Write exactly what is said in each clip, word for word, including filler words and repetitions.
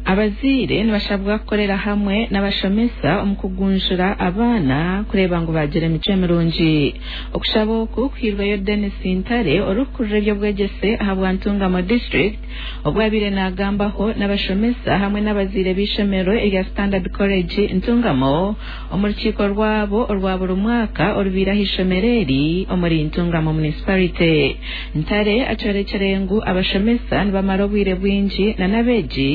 Abazaire nibashabwa kukorera hamwe n'abashomesa omu kugunjura abaana kureeba ngu bagira emicwe mirungi. Okushaba oku kuhairweyo Denis Ntare, orikukurira eby'obwegyese aha bwa Ntungamo District, obu abaire naagambaho n'abashomesa hamwe n'abazaire b'eishomero erya Standard College Ntungamo omu rukiiko rwabo orwa buri mwaka orubaire aha ishomero eri omuri Ntungamo Municipality. Ntare akyorekire ngu abashomesa nibamara obwire bwingi na n'abeegi,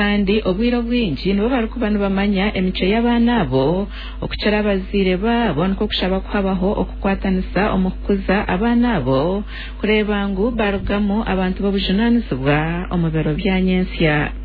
kandi obwire obwingi nibo barikuba nibamanya emicwe y'abaana abo okukira abazaire baabo, nikwo kushaba kuhabaho okukwatanisa omu kukuza abaana abo kureeba ngu barugamu abantu b'obujunaanizibwa omu biro bya nyentsya.